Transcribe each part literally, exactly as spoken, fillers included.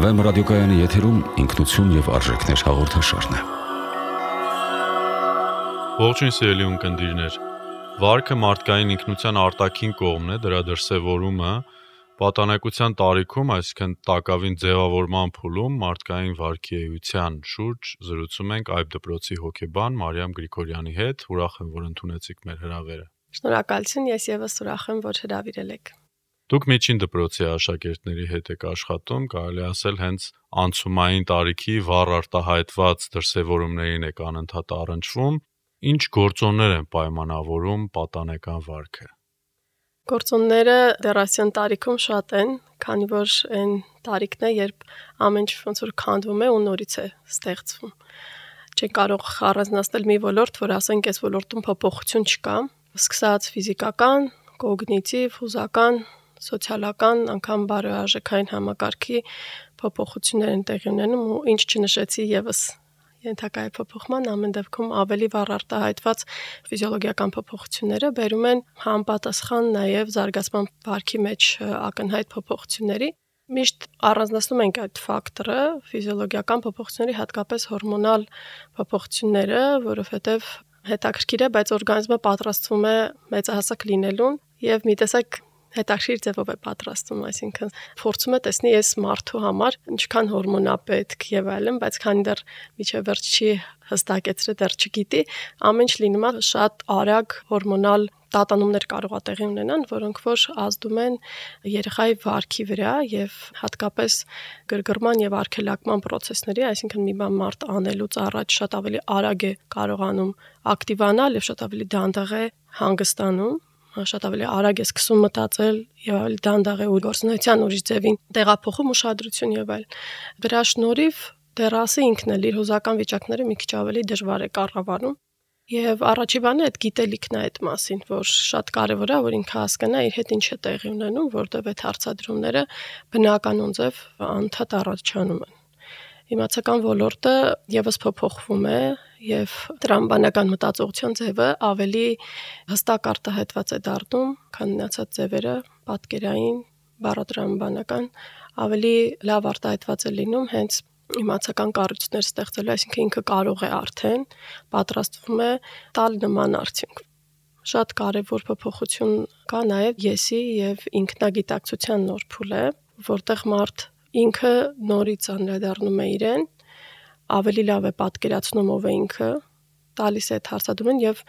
Էֆ Էմ ռադիոկայանի եթերում ինքնություն եւ արժեքներ հաղորդաշարն է։ Ողջույն սիրելի ունկնդիրներ։ Վարքը մարդկային ինքնության արտաքին կողմն է, դրա դրսևորումը պատանեկության տարիքում, այսինքն տակավին ձևավորման փուլում մարդկային վարքի էության շուրջ զրուցում ենք Այբ դպրոցի հոգեբան Մարիամ Գրիգորյանի հետ։ Ուրախ եմ, որ ընդունեցիք մեր հրավերը։ Շնորհակալություն, ես եւս ուրախ եմ, որ հրավիրել եք։ Դուք միջին դպրոցի աշակերտների հետ եք աշխատում, կարելի ասել հենց անցումային տարիքի վառ արտահայտված դրսևորումներին եք անընդհատ առնչվում։ Ինչ գործոններ են պայմանավորում պատանեկան վարքը։ Գործոնները դեռասյան տարիքում շատ են, քանի որ այն տարիքն է, երբ ամեն ինչ ոնց որ քանդվում է ու նորից է ստեղծվում։ Չեն կարող առանձնացնել մի ոլորտ, որ ասենք այս ոլորտում փոփոխություն չկա, սկսած ֆիզիկական, կոգնիտիվ, հուզական, սոցիալական, անգամ բարոյարժեքային համակարգի փոփոխություններ են տեղի ունենում ու ինչ չնշեցի եւս ենթակա է փոփոխման, ամեն դեպքում ավելի վառ արտահայտված ֆիզիոլոգիական փոփոխությունները բերում են համապատասխան նաև զարգացման վարքի մեջ ակնհայտ փոփոխությունների։ Միշտ առանձնացնում ենք այդ ֆակտորը, ֆիզիոլոգիական փոփոխությունների, հատկապես հորմոնալ փոփոխությունները, որովհետև հետաքրքիր է, բայց օրգանիզմը պատրաստվում է մեծահասակ լինելուն եւ մի տեսակ հետաքրքիր ձևով է պատրաստվում, այսինքն փորձում է տեսնի այս մարդու համար ինչքան հորմոն է պետք եւ այլն, բայց քանի դեռ միջև վերջ չի հստակեցրել, դեռ չգիտի, ամեն ինչ լինում է շատ արագ հորմոնալ տատանումներ կարող է տեղի ունենան, որոնք որ ազդում են երեխայի վարքի վրա եւ հատկապես գրգռման եւ արգելակման process-ների, այսինքն մի բան մարդ անելուց առաջ շատ ավելի արագ է կարողանում ակտիվանալ եւ շատ ավելի դանդաղ է հանգստանում, շատ ավելի արագ է սկսում մտածել եւ ավելի դանդաղ է ու գործունեության ուրիշ ձևին տեղափոխում ուշադրություն եւ այլ։ Դրա շնորհիվ դեռասը ինքն էլ իր հուզական վիճակները մի քիչ ավելի դժվար է կառավարում եւ առաջի բանը այդ գիտելիքն է այդ մասին, որ շատ կարեւոր է, որ ինքը հասկանա իր հետ ինչ է տեղի ունենում, որտեղ այդ հարցադրումները բնականon ձև անդադ առաջանում են։ Իմացական ոլորտը եւս փոփոխվում է եւ տրամաբանական մտածողության ձևը ավելի հստակ արտահայտված է դառնում, քան մնացած ձևերը, պատկերային, բառատրամաբանական, ավելի լավ արտահայտված է լինում հենց իմացական կառույցներ ստեղծելու, այսինքն ինքը կարող է արդեն պատրաստվում է տալ նման արդյունք։ Շատ կարեւոր փոփոխություն կա նաեւ եսի եւ ինքնագիտակցության նոր փուլ է, որտեղ մարդ ինքը նորից անդրադառնում է իրեն, ավելի լավ է պատկերացնում ով է ինքը, տալիս է այդ հարցադրումն եւ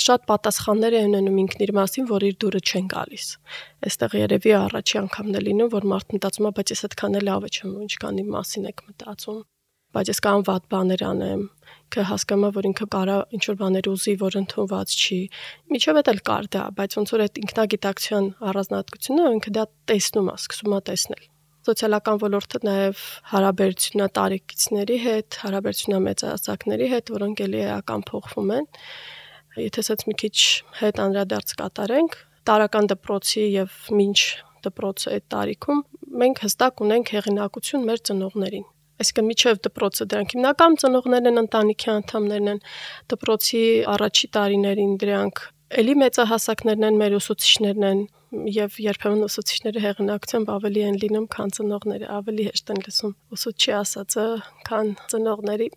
շատ պատասխաններ է ունենում ինքն իր մասին, որ իր դուրը չեն գալիս։ Այստեղ երևի առաջի անգամն է լինում, որ մարդ մտածում է, բայց ես այդքան էլ լավ չեմ, ինչքան իմ մասին եք մտածում։ Բայց ես կամ վատ բաներ անեմ, că հասկանում է, որ ինքը կարա ինչ-որ բաներ ուզի, որ ընդունված չի։ Միջով էլ կար դա, բայց ոնց որ այդ ինքնագիտակցության առանձնահատկությունը ինքը դա տեսնում է, սկսում է տեսնել։ Սոցիալական ոլորտը նաև հարաբերությունա տարեկիցների հետ, հարաբերությունա մեծահասակների հետ, որոնք էլի էական փոխվում են։ Եթե ասած մի քիչ հետ անդրադարձ կատարենք, տարական դպրոցի եւ մինչ դպրոցը այդ տարիքում մենք հստակ ունենք հեղինակություն մեր ծնողներին։ Այսինքն միջև դպրոցը դրանք հիմնական ծնողներն են, ընտանիքի անդամներն են, դպրոցի առաջի տարիներին դրանք էլի մեծահասակներն են, մեր ուսուցիչներն են եւ երբեմն ուսուցիչները հեղինակությամբ ավելի են լինում, քան ծնողները, ավելի հեշտ են լսում ուսուցչի ասածը, քան ծնողների։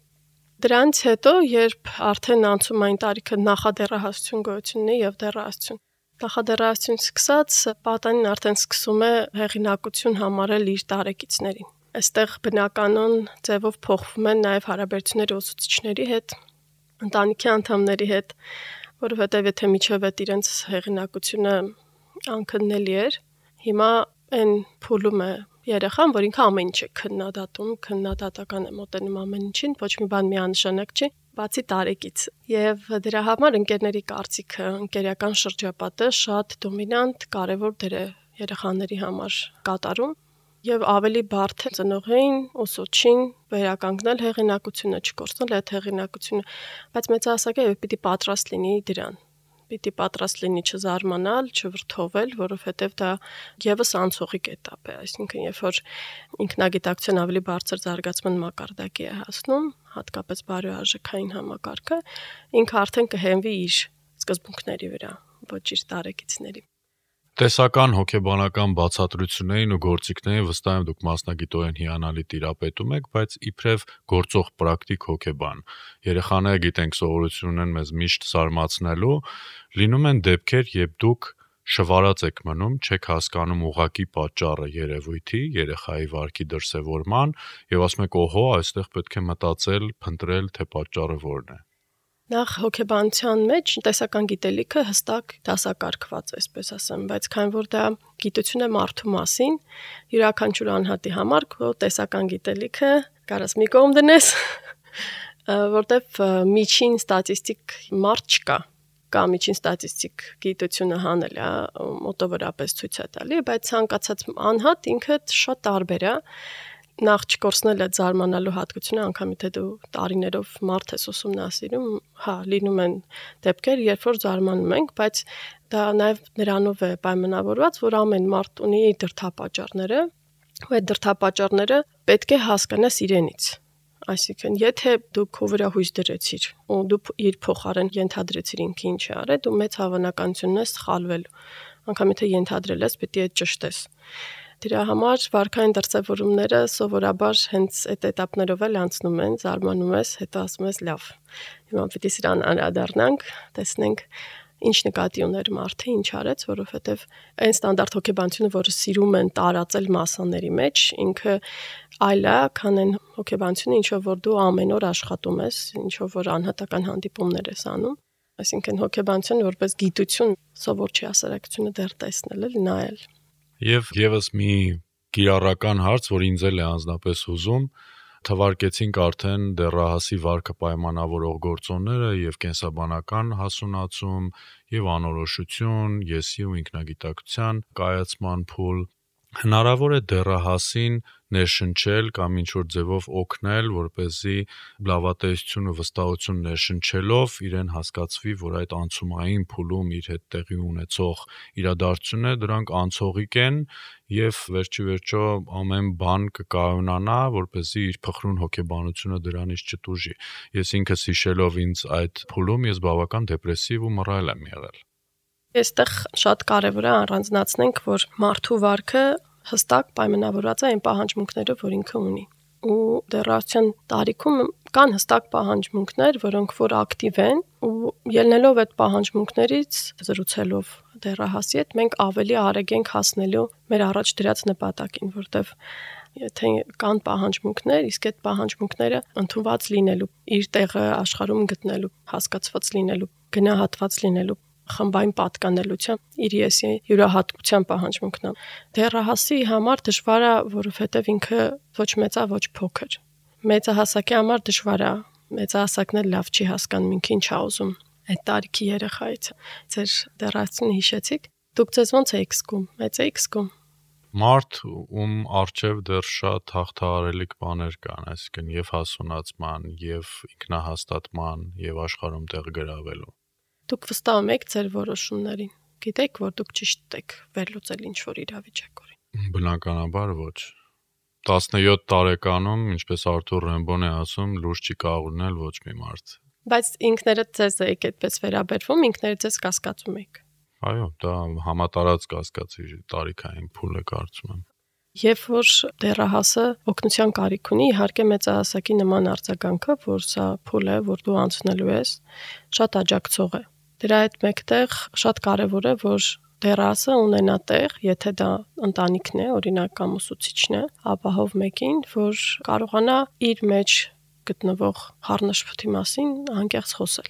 Դրանից հետո, երբ արդեն անցումային տարիքը նախադեռահասություն գոյություն ունի եւ դեռահասություն, նախադեռահասություն սկսած պատանին արդեն սկսում է հեղինակություն համարել իր տարեկիցներին։ Այստեղ բնականon ձևով փոխվում են նաեւ հարաբերությունները ուսուցիչների հետ, ընտանիքի անդամների հետ, որովհետեւ եթե միջև այդ իրենց հեղինակությունը անքննելի էր, հիմա այն փուլում է երեխան, որ ինքը ամեն ինչ է քննադատում, քննադատական է մոտենում ամեն ինչին, ոչ մի բան միանշանակ չի, բացի տարեկից։ Եվ դրա համար ընկերների կարծիքը, ընկերական շրջապատը շատ դոմինանտ, կարևոր դեր է երեխաների համար կատարում եւ ավելի բարդ է ծնողին, ուսուցչին վերականգնել հեղինակությունը, չկորցնել այդ հեղինակությունը, բայց մեծահասակը եւ պիտի պատրաստ լինի դրան։ Պիտի պատրաստ լինի չզարմանալ, չվրդովել, որովհետև դա եւս անցողիկ էտապ է, այսինքն երբ որ ինքնագիտակցության ավելի բարձր զարգացման մակարդակի է հասնում, հատկապես բարոյարժեքային համակարգը, ինքը արդեն կհենվի իր սկզբունքների վրա, ոչ իր տարեկիցների։ Տեսական հոգեբանական բացատրություններին ու գործիքներին վստահ եմ դուք մասնագիտորեն հիանալի տիրապետում եք, բայց իբրև գործող պրակտիկ հոգեբան, երեխաները գիտենք սովորություն ունեն մեզ միշտ զարմացնելու, լինում են դեպքեր, երբ դուք շվարած եք մնում, չեք հասկանում ուղղակի պատճառը երևույթի, երեխայի վարքի դրսևորման եւ ասում եք, օհո, այստեղ պետք է մտածել, փնտրել, թե պատճառը որն է։ Նախ հոգեբանության մեջ տեսական գիտելիքը հստակ դասակարգված է, այսպես ասեմ, բայց քանի որ դա գիտություն է մարդու մասին, յուրաքանչյուր անհատի համար քո տեսական գիտելիքը կարաս մի կողմ դնես, որտեվ միջին ստատիստիկ մարդ չկա, կա միջին ստատիստիկ գիտությունը հանել է, մոտավորապես ցույց է տալի, բայց ցանկացած անհատ ինքը շատ տարբեր է, նախ չկորցնել այդ զարմանալու հատկությունը, անգամ եթե դու տարիներով մարդ ես ուսումնասիրում, հա, լինում են դեպքեր, երբ որ զարմանում ենք, բայց դա նաև նրանով է պայմանավորված, որ ամեն մարդ ունի իր դրդապատճառները, ու այդ դրդապատճառները պետք է հասկանաս իրենից։ Այսինքն, եթե դու քո վրա հույս դրեցիր, ու դու իր փոխարեն ենթադրեցիր ինքը ինչ է արել, դու մեծ հավանականություն ունես սխալվելու։ Անկամ եթե ենթադրել ես, պետք է ճշտես։ Դրա համար վարքային դրսևորումները սովորաբար հենց այդ этаպներով էլ անցնում են, զարմանում ես, հետո ասում ես լավ։ Հիմա պետք է սրան անդրադառնանք, տեսնենք ինչ նկատի ուներ մարդը, ինչ արեց, որովհետև այն ստանդարտ հոգեբանությունը, որը սիրում են տարածել մասաների մեջ, ինքը այլ է, քան այն հոգեբանությունը, ինչով որ դու ամեն օր աշխատում ես, ինչով որ անհատական հանդիպումներ ես անում։ Այսինքն հոգեբանությունը որպես գիտություն սովոր չի հասարակությունը դեռ տեսնել էլ նայել։ Եվ եւս մի կիրառական հարց, որ ինձ էլ է անձնապես հուզում, թվարկեցինք արդեն դեռահասի վարքը պայմանավորող գործոնները եւ կենսաբանական հասունացում եւ անորոշություն, եսի ու ինքնագիտակցության կայացման փուլ։ Հնարավոր է դեռահասին ներշնչել կամ ինչ-որ ձևով օգնել, որպեսզի լավատեսություն ու վստահություն ներշնչելով իրեն հասկացվի, որ այդ անցումային փուլում իր հետ տեղի ունեցող իրադարձությունները դրանք անցողիկ են եւ վերջի վերջո ամեն բան կկայունանա, որպեսզի իր փխրուն հոգեբանությունը դրանից չտուժի։ Ես ինքս հիշելով ինձ այդ փուլում ես բավական դեպրեսիվ ու մռայլ եմ եղել։ Այստեղ շատ կարևոր է առանձնացնենք, որ մարդու վարքը հստակ պայմանավորված է այն պահանջմունքներով, որ ինքը ունի։ Ու դեռահասության տարիքում կան հստակ պահանջմունքներ, որոնք որ ակտիվ են, ու ելնելով այդ պահանջմունքներից, զրուցելով դեռահասի հետ, մենք ավելի արագ ենք հասնելու մեր առաջ դրած նպատակին, որտեվ եթե կան պահանջմունքներ, իսկ այդ պահանջմունքները ընդունված լինելու, իր տեղը աշխարհում գտնելու, հասկացված լինելու, գնահատված լինելու, խմբային պատկանելության իր եսի յուրահատկության պահանջմունքն է։ Դեռահասի համար դժվար է, որովհետև ինքը ոչ մեծ է, ոչ փոքր։ Մեծահասակի համար դժվար է, մեծահասակն էլ լավ չի հասկանում ինքը ինչ է ուզում։ Այդ տարիքի երեխայից ձեր դեռահասությունը հիշեցիք, դուք ձեզ ոնց եք զգում, մեծ եք զգում։ Մարդ, ում առջև դեռ շատ հաղթահարելիք բաներ կան, այսինքն եւ հասունացման, եւ ինքնահաստատման, եւ աշխարհում տեղ գրավելու։ Դուք վստահում եք ձեր որոշումներին։ Գիտեք, որ դուք ճիշտ եք վերլուծել ինչ-որ իրավիճակորին։ Բնականաբար ոչ։ տասնյոթ տարեկանում, ինչպես Արթուր Ռեմբոն է ասում, լուրջ չի կարող ունել ոչ մի մարդ։ Բայց ինքներդ ձեզ եք այդպես վերաբերվում, ինքներդ ձեզ կասկածում եք։ Այո, դա համատարած կասկածի տարիքային փուլ է, կարծում եմ։ Եվ որ դեռահասը օգնության կարիք ունի, իհարկե մեծահասակի նման արձագանքը, որ սա փուլ է, որ դու անցնելու ես, շատ աջակցող է։ Դրա հետ մեկտեղ շատ կարևոր է, որ դեռահասը ունենա տեղ, եթե դա ընտանիքն է, օրինակ կամ ուսուցիչն է, ապահով մեկին, որ կարողանա իր մեջ գտնվող խառնաշփոթի մասին անկեղծ խոսել։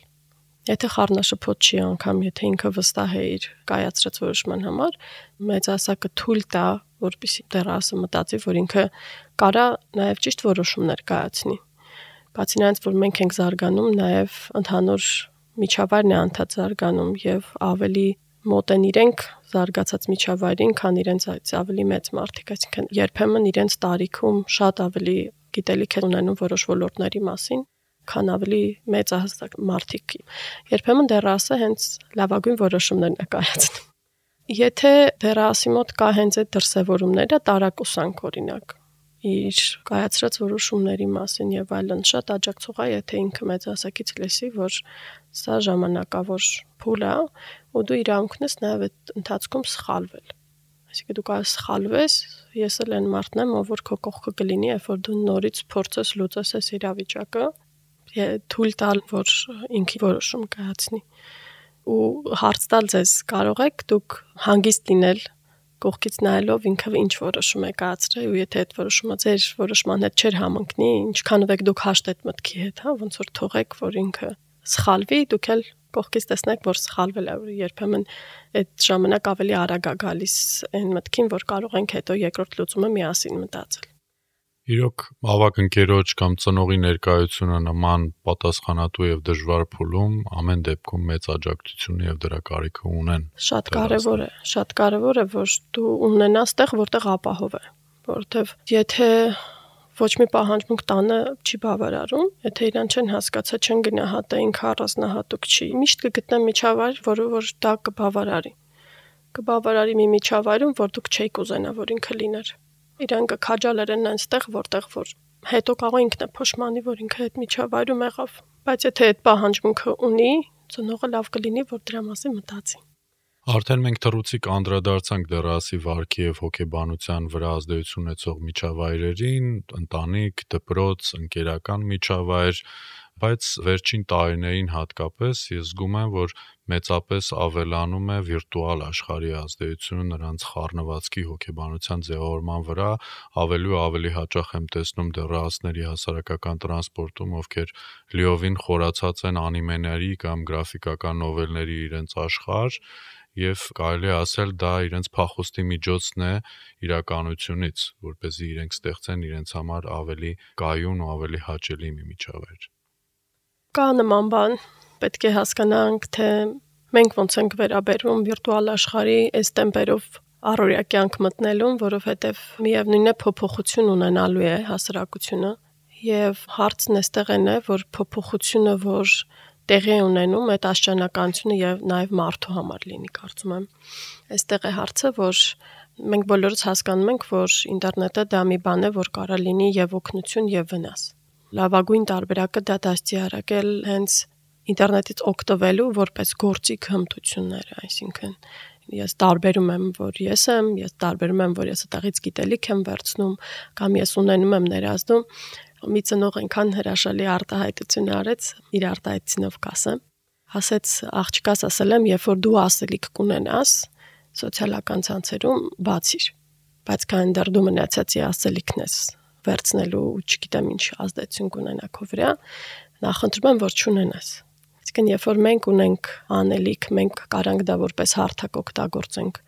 Եթե խառնաշփոթ չի անգամ, եթե ինքը վստահ է իր կայացրած որոշման համար, մեծահասակը թույլ տա, որպեսզի դեռահասը մտածի, որ ինքը կարա նաև ճիշտ որոշումներ կայացնի։ Բացի նրանից, որ մենք ենք զարգանում, նաև ընդհանուր միջավայրն է անդադ զարգանում եւ ավելի մոտ են իրենք զարգացած միջավայրին, քան իրենց ավելի մեծ մարդիկ, այսինքն երբեմն իրենց տարիքում շատ ավելի գիտելիք են ունենում որոշ ոլորտների մասին, քան ավելի մեծահասակ մարդիկ։ Երբեմն դեռահասը հենց լավագույն որոշումներն է կայացնում։ Եթե դեռահասի մոտ կա հենց այդ դրսևորումները, տարակուսանք օրինակ, իր կայացրած որոշումների մասին եւ այլն շատ աջակցող է, եթե ինքը մեծ հասակից լսի, որ սա ժամանակավոր փուլ է ու դու իրավունքն ես նաեւ այդ ընթացքում սխալվել։ Այսինքն դու կարող ես սխալվես, ես էլ այն մարդն եմ, ով որ քո կողքը կլինի, երբ որ դու նորից փորձես լուծես այս իրավիճակը, թույլ տալ, որ ինքը որոշում կայացնի։ Ու հարց տալ ձեզ, կարող եք դուք հանգիստ լինել կողքից նայելով ինքը ինչ որոշում է կայացրել ու եթե այդ որոշումը ձեր որոշման հետ չէր համընկնի, ինչքանով եք դուք հաշտ այդ մտքի հետ, հա, ոնց որ թողեք, որ ինքը սխալվի, դուք էլ կողքից տեսնեք, որ սխալվել է, որ երբեմն այդ ժամանակ ավելի արագ է գալիս այն մտքին, որ կարող ենք հետո երկրորդ լուծումը միասին մտածել։ Իրոք ավագ ընկերոջ կամ ծնողի ներկայությունը նման պատասխանատու եւ դժվար փուլում ամեն դեպքում մեծ աջակցություն եւ դրա կարիքը ունեն։ Շատ կարեւոր է, շատ կարեւոր է, որ դու ունենաս տեղ, որտեղ ապահով է, որովհետեւ եթե ոչ մի պահանջմունք տանը չի բավարարում, եթե իրան չեն հասկացա, չեն գնահատա, ինքը առանձնահատուկ չի, միշտ կգտնեն միջավայր, որը որ դա կբավարարի։ Կբավարարի մի միջավայրում, որ դուք չեք ուզենա, որ ինքը լիներ։ Իրան կքաջալերեն այնտեղ, որտեղ որ հետո կարող ինքն է փոշմանի, որ ինքը այդ միջավայրում եղավ, բայց եթե այդ պահանջմունքը ունի, ծնողը լավ կլինի, որ դրա մասին մտածի։ Արդեն մենք թռուցիկ անդրադարձանք դեռասի վարքի եւ հոգեբանության վրա ազդեցություն ունեցող միջավայրերին, ընտանիք, դպրոց, ընկերական միջավայր, բայց վերջին տարիներին հատկապես ես զգում եմ, որ մեծապես ավելանում է վիրտուալ աշխարհի ազդեցությունը նրանց խառնվածքի հոգեբանության ձևավորման վրա, ավելի ու ավելի հաճախ եմ տեսնում դեռահասների հասարակական տրանսպորտում, ովքեր լիովին խորացած են անիմեների կամ գրաֆիկական նովելների իրենց աշխարհ, եւ կարելի է ասել դա իրենց փախուստի միջոցն է իրականությունից, որպեսզի իրենք ստեղծեն իրենց համար ավելի կայուն ու ավելի հաճելի մի միջավայր։ Կա նման բան, պետք է հասկանանք, թե մենք ոնց ենք վերաբերվում վիրտուալ աշխարհի այս տեմպերով առօրյա կյանք մտնելուն, որովհետև միևնույն է փոփոխություն ունենալու է հասարակությունը եւ հարցն էստեղ է, որ փոփոխությունը, որ տեղի ունենում այդ աշճանականությունը եւ նաեւ մարդու համար լինի, կարծում եմ։ Այստեղ է հարցը, որ մենք բոլորս հասկանում ենք, որ ինտերնետը դա մի բան է, որ կարող է լինի եւ օգնություն եւ վնաս։ Լավագույն տարբերակը դա դաստիարակել հենց ինտերնետից օգտվելու որպես գործիք հմտությունները, այսինքն ես տարբերում եմ, որ ես եմ, ես տարբերում եմ, որ ես այդտեղից գիտելիք եմ վերցնում, կամ ես ունենում եմ ներազդում։ Մի ծնող այնքան հրաշալի արտահայտություն արեց, իր արտահայտությունով կասեմ, ասեց աղջկաս ասել եմ, երբ որ դու ասելիք կունենաս, սոցիալական ցանցերում բացիր, բայց քան դեռ դու մնացածի ասելիքն ես վերցնելու ու չգիտեմ ինչ ազդեցություն կունենա քո վրա, նախընտրում եմ, որ չունենաս։ Այսինքն, երբ որ մենք ունենք անելիք, մենք կարանք դա որպես հարթակ օգտագործենք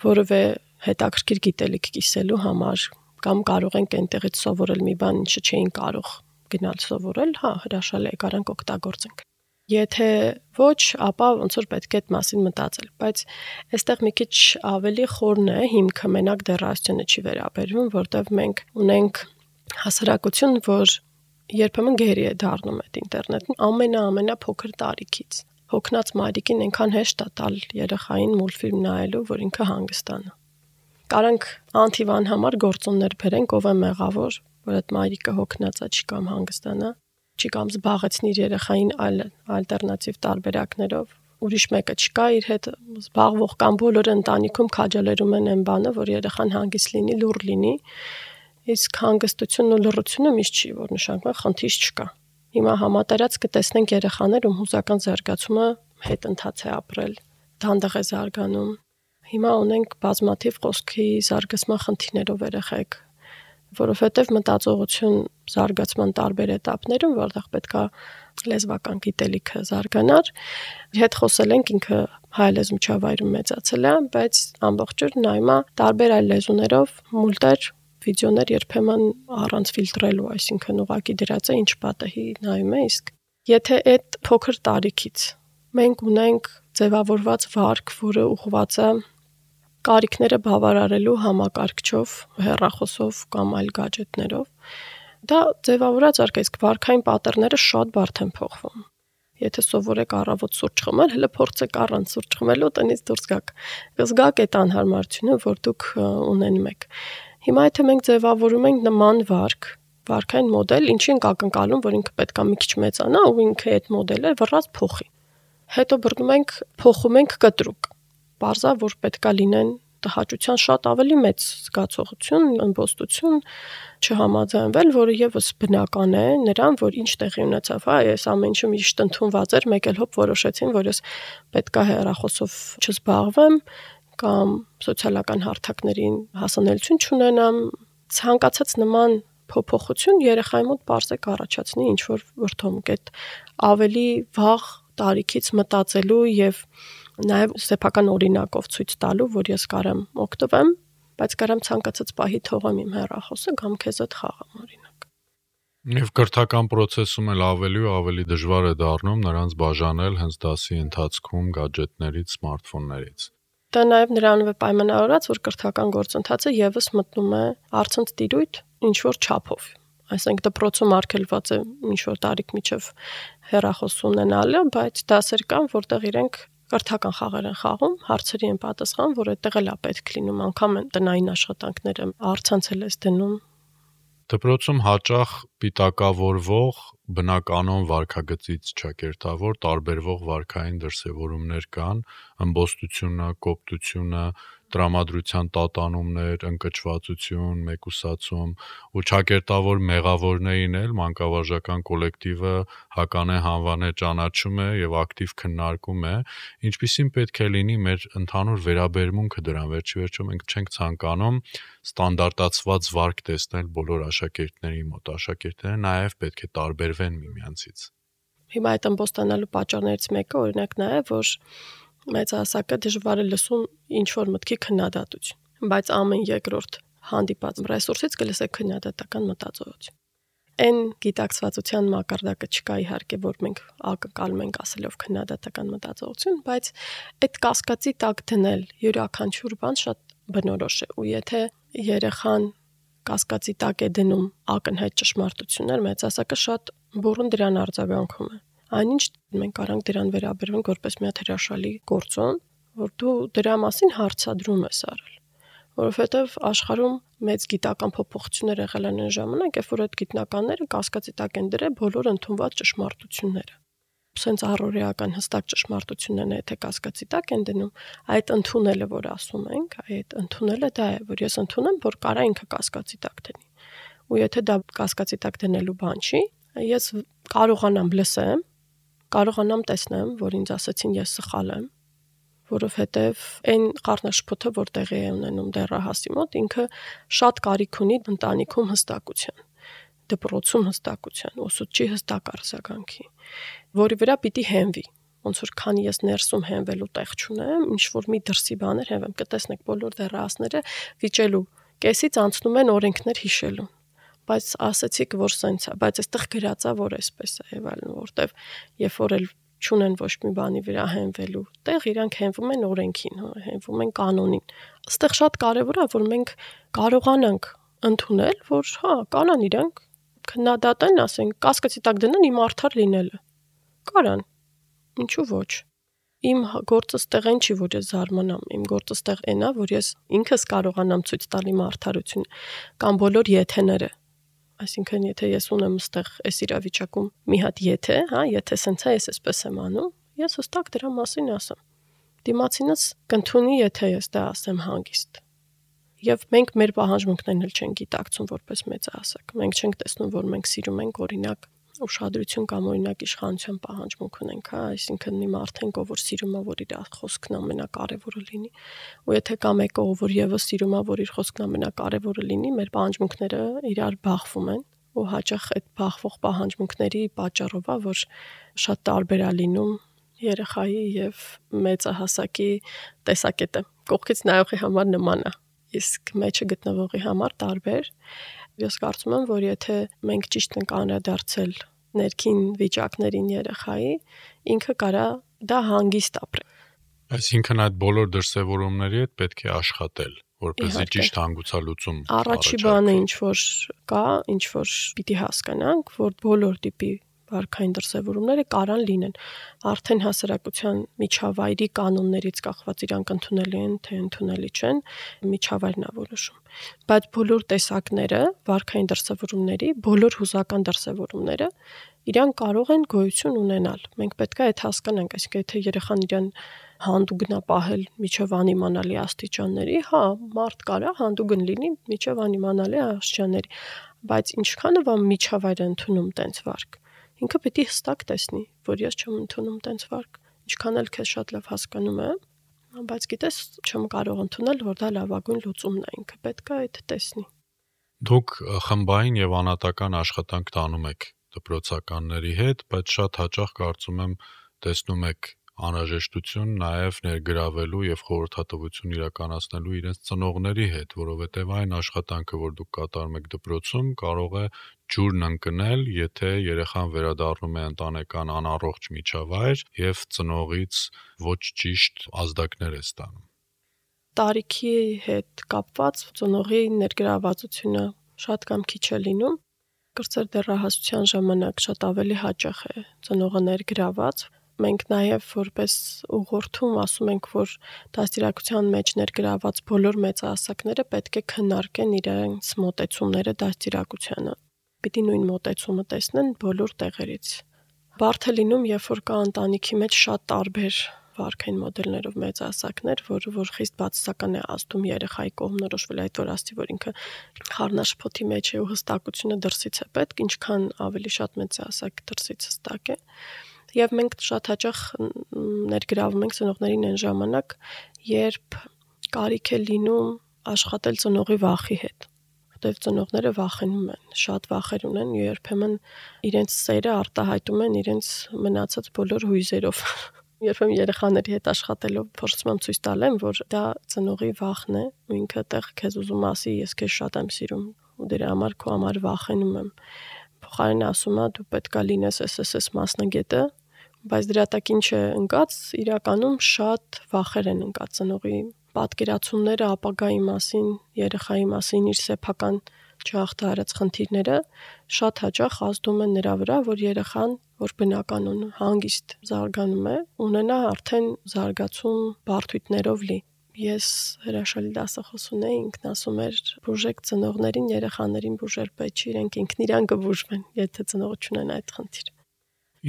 որևէ հետաքրքիր գիտելիք կիսելու համար, կամ կարող ենք այնտեղից սովորել մի բան, ինչը չէին կարող գնալ սովորել, հա, հրաշալի է, կարանք օգտագործենք։ Եթե ոչ, ապա ոնց որ պետք է այդ մասին մտածել, բայց այստեղ մի քիչ ավելի խորն է, հիմքը մենակ դեռահասությունը չի վերաբերվում, որտեղ մենք ունենք հասարակություն, որ երբեմն գերի է դառնում այդ ինտերնետին ամենա-ամենափոքր տարիքից։ Հոգնած մայրիկին այնքան հեշտ է տալ երեխային մուլտֆիլմ նայելու, որ ինքը հանգստանա։ Կարանք անթիվան համար գործոններ բերենք, ով է մեղավոր, որ այդ մայրիկը հոգնած է, չի կամ հանգստանա, չի կամ զբաղեցնի իր երեխային այլ ալտերնատիվ տարբերակներով, ուրիշ մեկը չկա իր հետ զբաղվող կամ բոլորը ընտանիքում քաջալերում են այն բանը, որ երեխան հանգիստ լինի, լուռ լինի, իսկ հանգստությունն ու լռությունը միշտ չի, որ նշանակում է խնդիր չկա։ Հիմա համատարած կտեսնենք երեխաներ, ում հուզական զարգացումը հետընթաց է ապրել, դանդաղ է զարգանում։ Հիմա ունենք բազմաթիվ խոսքի զարգացման խնդիրներով երեխեք, որովհետև մտածողություն զարգացման տարբեր էտապներում, որտեղ պետքա լեզվական գիտելիքը զարգանար, հետ խոսել ենք ինքը հայ լեզու միջավայրում մեծացել է, բայց ամբողջ օր նայում է տարբեր այլ լեզուներով մուլտեր, վիդեոներ երբեմն առանց ֆիլտրելու, այսինքն ուղղակի դրած է ինչ պատահի նայում է, իսկ եթե այդ փոքր տարիքից մենք ունենք ձևավորված վարք, որը ուղղված է կարիքները բավարարելու համակարգչով, հեռախոսով կամ այլ գadgetներով, դա ձևավորած արք, իսկ վարքային պատեռները շատ բարդ են փոխվում։ Եթե սովորեք առավոտ սուրճ խմել, հələ փորձեք առանց սուրճ խմելու տնից դուրս գաք։ Զգաք այդ անհարմարությունը, որ դուք ունենում եք։ Հիմա եթե մենք ձևավորում ենք նման վարք, վարքային մոդել, ինչի ենք ակնկալում, որ ինքը պետք է մի քիչ մեծանա ու ինքը այդ մոդելը վռած փոխի։ Հետո բռնում ենք, փոխում ենք կտրուկ։ Պարզա, որ պետք է լինեն տհաճության շատ ավելի մեծ զգացողություն, ըմբոստություն չհամաձայնվել, որը եւս բնական է նրան, որ ինչ տեղի ունեցավ, հա, այս ամեն ինչը միշտ ընդունված էր, մեկ էլ հոբ որոշեցին, որ ես պետք է հեռախոսով չզբաղվեմ կամ սոցիալական հարթակներին հասանելիություն չունենամ, ցանկացած նման փոփոխություն երեխայի մոտ բարձր կառաջացնի ինչ որ վրդովմունք, այդ ավելի վաղ տարիքից մտածելու եւ նաև սեփական օրինակով ցույց տալու, որ ես կարամ օգտվեմ, բայց կարամ ցանկացած պահի թողեմ իմ հեռախոսը կամ քեզ հետ խաղամ օրինակ։ Եվ կրթական process-ում էլ ավելի ու ավելի դժվար է դառնում նրանց բաժանել հենց դասի ընթացքում գadgetներից, սմարթֆոններից։ Դա նաև նրանով է պայմանավորված, որ կրթական գործընթացը եւս մտնում է առցանց տիրույթ ինչ որ չափով։ Այսինքն դպրոցում արգելված է ինչ որ տարիք միջև հեռախոս ունենալը, բայց դասեր կան, որտեղ իրենք կրթական խաղեր են խաղում, հարցերի են պատասխան, որ այդտեղ էլ է պետք լինում, անգամ են տնային աշխատանքները առցանցել ես դնում։ Դպրոցում հաճախ պիտակավորվող բնականոն վարքագծից ճակերտավոր տարբերվող վարքային դրսևորումներ կան, ըմբոստությունը, կոպտությունը, տրամադրության տատանումներ, ընկճվածություն, մեկուսացում ու ճակերտավոր մեղավորներին էլ մանկավարժական կոլեկտիվը հականե հանվանե ճանաչում է եւ ակտիվ քննարկում է, ինչպիսին պետք է լինի մեր ընդհանուր վերաբերմունքը դրան, վերջի վերջո մենք չենք ցանկանում ստանդարտացված վարք տեսնել բոլոր աշակերտների մոտ, աշակերտները նաեւ պետք է տարբերվեն միմյանցից։ Հիմա այդ ըմբոստանալու պատճառներից մեկը օրինակ նա է, որ մեծահասակը դժվար է լսում ինչ որ մտքի քննադատություն, բայց ամեն երկրորդ հանդիպած ռեսուրսից կլսեք քննադատական մտածողություն։ Այն գիտակցվածության մակարդակը չկա իհարկե, որ մենք ակնկալում ենք ասելով քննադատական մտածողություն, բայց այդ կասկածի տակ դնել յուրաքանչյուր բան շատ բնորոշ է, ու եթե երեխան կասկածի տակ է դնում ակնհայտ ճշմարտություններ, մեծահասակը շատ բուռն դրան արձագանքում է։ Այնինչ մենք կարանք դրան վերաբերվենք որպես մի հատ հրաշալի գործոն, որ դու դրա մասին հարցադրում ես արել, որովհետև աշխարհում մեծ գիտական փոփոխություններ եղել են այն ժամանակ, երբ որ այդ գիտնականները կասկածի տակ են դրել բոլոր ընդունված ճշմարտությունները։ Սենց առօրեական հստակ ճշմարտություններն է, եթե կասկածի տակ են դնում, այդ ընդունելը, որ ասում ենք, այդ ընդունելը դա է, որ ես ընդունեմ, որ կարա ինքը կասկածի տակ դնի։ Ու եթե դա կասկածի տակ դնելու բան չի, ես կարողանամ լսեմ, կարողանամ տեսնեմ, որ ինձ ասացին ես սխալ եմ, որովհետև այն խառնաշփոթը, որ տեղի է ունենում դեռահասի մոտ, ինքը շատ կարիք ունի ընտանիքում հստակության, դպրոցում հստակության, ուսուցչի հստակ արձագանքի, որի վրա պիտի հենվի։ Ոնց որ քանի ես ներսում հենվելու տեղ չունեմ, ինչ որ մի դրսի բաներ հենվեմ, կտեսնեք բոլոր դեռահասները վիճելու կեսից անցնում են օրենքներ հիշելու։ Բայց ասացիք, որ սենց է, բայց այստեղ գրած է, որ այսպես է եւ այլն, որտեվ երբ որ էլ չունեն ոչ մի բանի վրա հենվելու տեղ, իրանք հենվում են օրենքին, հենվում են կանոնին։ Այստեղ շատ կարեւոր է, որ մենք կարողանանք ընդունել, որ հա, կանան իրանք քննադատեն, ասեն, կասկածի տակ դնեն իմ արդար լինելը։ Կարան։ Ինչու ոչ։ Իմ գործը ստեղ այն չի, որ ես զարմանամ, իմ գործը ստեղ այն է, որ ես ինքս կարողանամ ցույց տալ իմ արդարությունը կամ բոլոր եթեները։ Այսինքն, եթե ես ունեմ ստեղ այս իրավիճակում մի հատ եթե, հա, եթե սենց է, ես այսպես եմ անում, ես հստակ դրա մասին ասեմ։ Դիմացինս կընդունի, եթե ես դա ասեմ հանգիստ։ Եվ մենք մեր պահանջմունքներն էլ չենք գիտակցում որպես մեծահասակ։ Մենք չենք տեսնում, որ մենք սիրում ենք օրինակ ուշադրություն կամ օրինակ իշխանության պահանջմունք ունենք, հա, այսինքն մի մարդ ենք, ով որ սիրում է, որ իր խոսքն ամենակարևորը լինի, ու եթե կա մեկը, ով որ եւս սիրում է, որ իր խոսքն ամենակարևորը լինի, մեր պահանջմունքները իրար բախվում են, ու հաճախ այդ բախվող պահանջմունքների պատճառով է, որ շատ տարբեր է լինում երեխայի եւ մեծահասակի տեսակետը։ Կողքից նայողի համար նման է, իսկ մեջը գտնվողի համար տարբեր։ Ես կարծում եմ, որ եթե մենք ճիշտ ենք անդրադարձել ներքին վիճակներին երեխայի, ինքը կարա դա հանգիստ ապրել։ Այսինքն այդ բոլոր դրսևորումների հետ պետք է աշխատել, որպեսզի ճիշտ հանգուցալուծում առաջի բանը ինչ որ կա, ինչ որ պիտի հասկանանք, որ բոլոր տիպի վարքային դրսևորումները կարան լինեն։ Արդեն հասարակության միջավայրի կանոններից կախված իրանք ընդունելի են, թե ընդունելի չեն, միջավայրն է որոշում։ Բայց բոլոր տեսակները, վարքային դրսևորումների, բոլոր հուզական դրսևորումները իրանք կարող են գոյություն ունենալ։ Մենք պետք է այդ հասկանանք, այսինքն եթե երեխան իրան հանդուգն է պահել միջև անիմանալի աստիճանների, հա, մարդ կարա հանդուգն լինի միջև անիմանալի աստիճանների, բայց ինչքանով է միջավայրը ընդունում տենց վարք։ Ինքը պետք է հստակ տեսնի, որ ես չեմ ընդունում տենց վարք, ինչքան էլ քեզ շատ լավ հասկանում է, բայց գիտես, չեմ կարող ընդունել, որ դա լավագույն լուծումն է, ինքը պետք է այդ տեսնի։ Դուք խմբային եւ անհատական աշխատանք տանում եք դպրոցականների հետ, բայց շատ հաճախ կարծում եմ տեսնում եք անհրաժեշտություն նաև ներգրավելու եւ խորհրդատվություն իրականացնելու իրենց ծնողների հետ, որովհետեւ այն աշխատանքը, որ դուք կատարում եք դպրոցում, կարող է ջուրն ընկնել, եթե երեխան վերադառնում է ընտանեկան անառողջ միջավայր եւ ծնողից ոչ ճիշտ ազդակներ է ստանում։ Տարիքի հետ կապված ծնողի ներգրավվածությունը շատ կամ քիչ է լինում։ Կրծեր դեռահասության ժամանակ շատ ավելի հաճախ է ծնողը ներգրաված։ Մենք նաև որպես ուղղորդում ասում ենք, որ դաստիարակության մեջ ներգրաված բոլոր մեծահասակները պետք է քննարկեն իրենց մոտեցումները դաստիարակությանը։ Պիտի նույն մոտեցումը տեսնեն բոլոր տեղերից։ Բարդ է լինում, երբ որ կա ընտանիքի մեջ շատ տարբեր վարքային մոդելներով մեծահասակներ, որը որ խիստ բացասական է ազդում երեխայի կողմնորոշվել, այդ որ աստի, որ ինքը խառնաշփոթի մեջ է ու հստակությունը դրսից է պետք, ինչքան ավելի շատ մեծահասակ դրսից հստակ է։ Եվ մենք շատ հաճախ ներգրավում ենք ծնողներին այն ժամանակ, երբ կարիք է լինում աշխատել ծնողի վախի հետ, որտեղ ծնողները վախենում են, շատ վախեր ունեն, երբեմն իրենց սերը արտահայտում են իրենց մնացած բոլոր հույզերով։ Երբեմն երեխաների հետ աշխատելով փորձում եմ ցույց տալ եմ, որ դա ծնողի վախն է, ու ինքը տեղ քեզ ուզում ասի, ես քեզ շատ եմ սիրում, ու դրա համար քո համար վախենում եմ։ Փոխարենը ասում է, դու պետքա լինես էս էս էս մասնագետը, բայց դրա տակ ինչ է ընկած, իրականում շատ վախեր են ընկած ծնողի պատկերացումները ապագայի մասին, երեխայի մասին, իր սեփական չհաղթահարած խնդիրները շատ հաճախ ազդում են նրա վրա, որ երեխան, որ բնականon հանգիստ զարգանում է, ունենա արդեն զարգացում բարդույթներով լի։ Ես հրաշալի դասախոս ունեի, ինքն ասում էր, բուժեք ծնողներին, երեխաներին բուժել պետք չի, իրենք ինքն իրան կբուժվեն, եթե ծնողը չունեն այդ խնդիրը։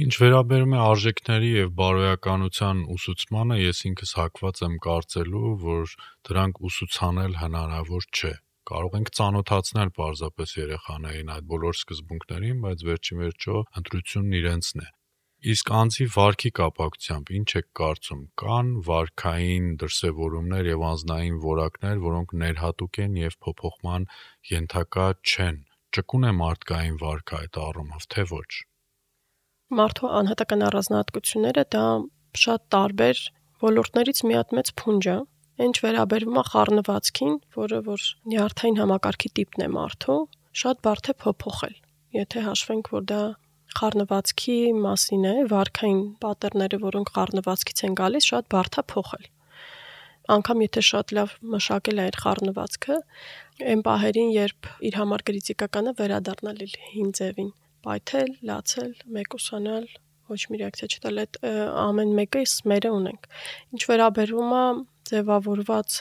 Ինչ վերաբերում է արժեքների եւ բարոյականության ուսուցմանը, ես ինքս հակված եմ կարծելու, որ դրանք ուսուցանել հնարավոր չէ։ Կարող ենք ծանոթացնել պարզապես երեխաներին այդ բոլոր սկզբունքներին, բայց վերջին վերջո ընտրությունն իրենցն է։ Իսկ անձի վարքի կապակցությամբ ինչ եք կարծում, կան վարքային դրսևորումներ եւ անձնային որակներ, որոնք ներհատուկ են եւ փոփոխման ենթակա չեն։ Ճկուն է մարդկային վարքը այդ առումով, թե ոչ։ Մարդու անհատական առանձնահատկությունները դա շատ տարբեր ոլորտներից մի հատ մեծ փունջ է։ Ինչ վերաբերում է խառնվածքին, որը որ նյարդային համակարգի տիպն է մարդու, շատ բարդ է փոփոխել։ Եթե հաշվենք, որ դա խառնվածքի մասին է, վարքային պատերները, որոնք խառնվածքից են գալիս, շատ բարդ է փոխել։ Անկամ եթե շատ լավ մշակել է այդ խառնվածքը, այն պահերին, երբ իր համար կրիտիկականը վերադառնալ իր հին ձևին, պայթել, լացել, մեկուսանալ, ոչ մի ռեակցիա չտալ, այդ ամեն մեկը մերը ունենք։ Ինչ վերաբերում է ձևավորված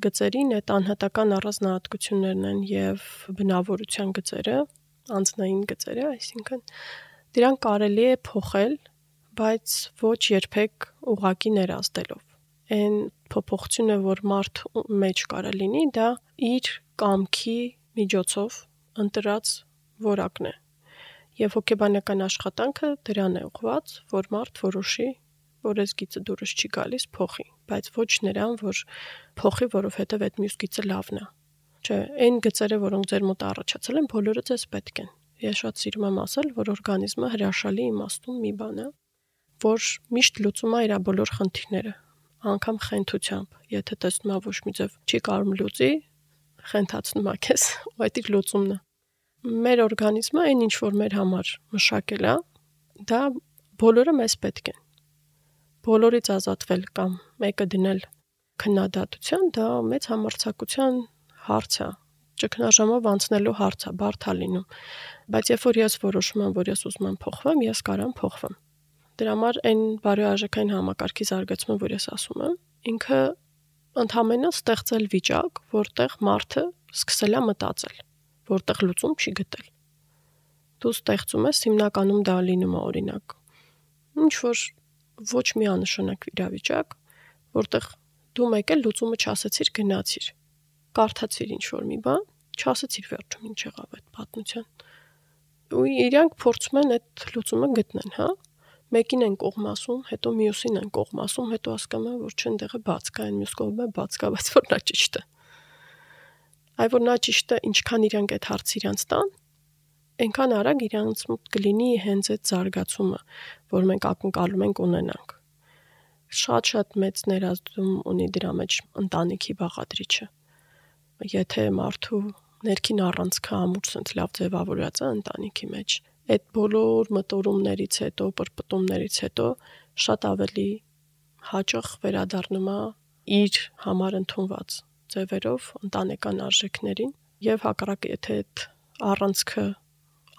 գծերին, այդ անհատական առանձնահատկություններն են եւ բնավորության գծերը, անձնային գծերը, այսինքն դրանք կարելի է փոխել, բայց ոչ երբեք ուղղակի ներազդելով։ Այն փոփոխությունը, որ մարդ մեջ կարա լինի, դա իր կամքի միջոցով ընտրած որակն է։ Եվ հոգեբանական աշխատանքը դրան է ուղղված, որ մարդ որոշի, որ այս գիծը դուրս չի գալիս, փոխի, բայց ոչ նրան, որ փոխի, որովհետև այդ մյուս գիծը լավն է։ Չէ, այն գծերը, որոնք ձեր մոտ առաջացել են, բոլորը ձեզ պետք են։ Ես շատ սիրում եմ ասել, որ օրգանիզմը հրաշալի իմաստուն մի բան է, որ միշտ լուծում է իր բոլոր խնդիրները, անգամ խենթությամբ։ Եթե տեսնում ես ոչ մի ձև չի կարող լուծի, խենթացնում է քեզ, ու այդ իր լուծումն է։ Մեր օրգանիզմը այն ինչ որ մեր համար մշակել է, դա բոլորը մեզ պետք են։ Բոլորից ազատվել կամ մեկը դնել քննադատության, դա մեծ համարձակության հարց է։ ճգնաժամով անցնելու հարց է, բարդ է լինում։ Բայց երբ որ ես որոշում եմ, որ ես ուզում եմ փոխվեմ, ես կարամ փոխվեմ։ Դրա համար այն բարոյարժեքային համակարգի զարգացումը, որ ես ասում եմ, ինքը ընդհանրապես ստեղծել վիճակ, որտեղ մարդը սկսել է մտածել, որտեղ լուծում չի գտել։ Դու ստեղծում ես հիմնականում դա լինում է օրինակ։ Ինչ որ ոչ միանշանակ իրավիճակ, որտեղ դու մեկ էլ լուծումը չասեցիր, գնացիր։ Կարդացիր ինչ որ մի բան, չասեցիր վերջում ինչ եղավ այդ պատմության։ Ու իրանք փորձում են այդ լուծումը գտնեն, հա։ Մեկին են կողմ ասում, հետո մյուսին են կողմ ասում, հետո հասկանում են, որ չեն դեղը բաց կա, այն մյուս կողմը բաց կա, բայց որ նա ճիշտ է։ Այ որ նա ճիշտ է, ինչքան իրանք այդ հարցը իրանց տան, այնքան արագ իրանց մոտ կլինի հենց այդ զարգացումը, որ մենք ակնկալում ենք ունենանք։ Շատ-շատ մեծ ներազդում ունի դրա մեջ ընտանիքի բաղադրիչը։ Եթե մարդու ներքին առանցքը ամուր սենց լավ ձևավորած է ընտանիքի մեջ, այդ բոլոր մտորումներից հետո, պրպտումներից հետո շատ ավելի հաճախ վերադառնում է իր համար ընդունված ձևերով ընտանեկան արժեքներին եւ հակառակը եթե այդ առանցքը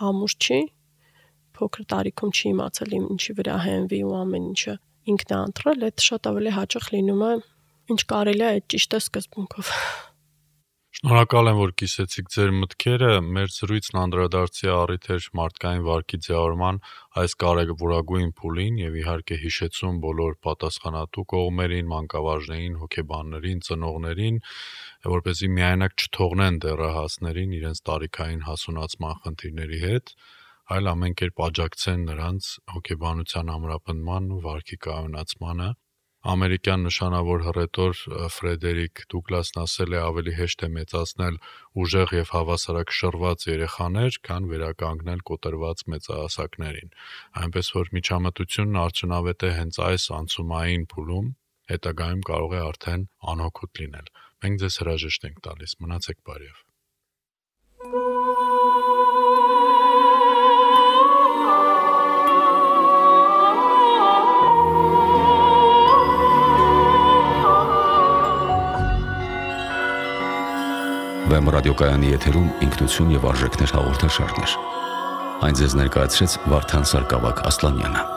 ամուր չի, փոքր տարիքում չի իմացել ինչի վրա հենվի ու ամեն ինչը ինքն է ընտրել, այդ շատ ավելի հաճախ լինում է ինչ կարելի է այդ ճիշտ է սկզբունքով։ Շնորհակալ եմ, որ կիսեցիք ձեր մտքերը։ Մեր զրույցն անդրադարձի առիթ էր մարդկային վարքի ձևավորման այս կարևորագույն փուլին եւ իհարկե հիշեցում բոլոր պատասխանատու կողմերին, մանկավարժներին, հոգեբաններին, ծնողներին, որպեսզի միայնակ չթողնեն դեռահասներին իրենց տարիքային հասունացման խնդիրների հետ, այլ ամեն կերպ աջակցեն նրանց հոգեբանության ամրապնդման ու վարքի կայունացմանը։ Ամերիկյան նշանավոր հռետոր Ֆրեդերիկ Դուգլասն ասել է ավելի հեշտ է մեծացնել ուժեղ եւ հավասարակշռված երեխաներ, քան վերականգնել կոտրված մեծահասակներին։ Այնպես որ միջամտությունն արդյունավետ է հենց այս անցումային փուլում, հետագայում կարող է արդեն անօգուտ լինել։ Մենք ձեզ հրաժեշտ ենք տալիս։ Մնացեք բարյավ։ Վեմ ռադիոկայանի եթերում ինքնություն եւ արժեքներ հաղորդաշարներ։ Այն ձեզ ներկայացրեց Վարդան Սարգսակ Ասլանյանը։